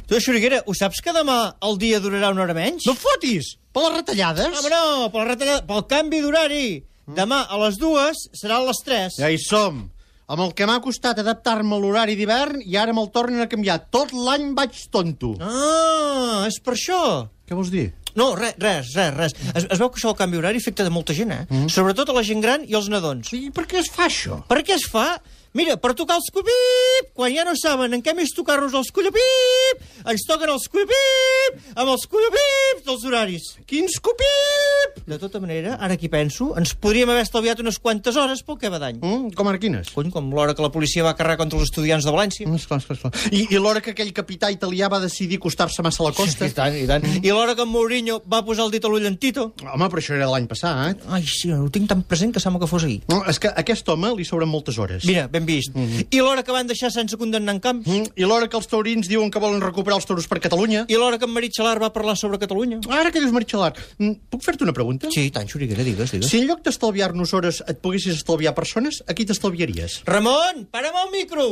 Tu, Xuriguera, ho saps que demà el dia durarà una hora menys? No fotis! Per les retallades? Home, no, pel canvi d'horari. Demà a les 2 serà a les 3. Ja hi som. Amb el que m'ha costat adaptar-me a l'horari d'hivern i ara me'l tornen a canviar. Tot l'any vaig tonto. Ah, és per això. Què vols dir? No, res. Es veu que això del canvi horari afecta de molta gent, Sobretot a la gent gran i als nadons. I per què es fa això? Per què es fa? Mira, per tocar els collapip, quan ja no saben en què més tocar-nos els collapip, ens toquen els collapip, amb els collapip dels horaris. Quins copip! De tota manera, ara aquí penso, ens podríem haver estalviat unes quantes hores pel que va d'any. Com ara quines? Cony, com l'hora que la policia va carregar contra els estudiants de València. Esclar. I l'hora que aquell capità italià va decidir acostar-se massa a la costa? I tant. I l'hora que en Mourinho va posar el dit a l'ull en Tito. Home, però això era l'any passat. Ai, sí, ho tinc tan present que sembla que fos ahir. No, és que a aquest home li sobren moltes hores. Mira, ben vist. I l'hora que van deixar sense condemnar en camps. I l'hora que els taurins diuen que volen recuperar els toros per Catalunya. I l'hora que en Marit Xalar va parlar sobre Catalunya. Ara que dius Maritxalar, puc fer-te una pregunta? Sí, tant, Xuriguera, digues. Si en lloc d'estalviar-nos hores et poguessis estalviar persones, a qui t'estalviaries? Ramon, para'm el micro!